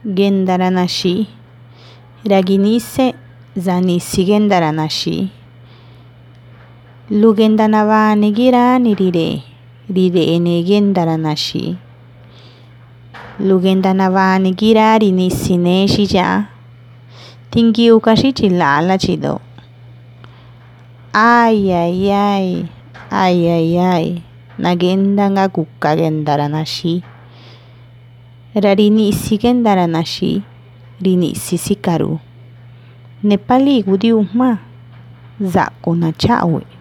gendaranashi, raginise zanisi gendaranashi. Lugendanavani girani rirene gendaranashi. Lugendanavani girari nisineshi ya. Tingiukashi chilala chido. Ay ay ay, ay ay ay, nagendanga kuka gendaranashi. Rarinisi gendaranashi, rinisi sikaru. Nepali gudiuma, zakuna chawe.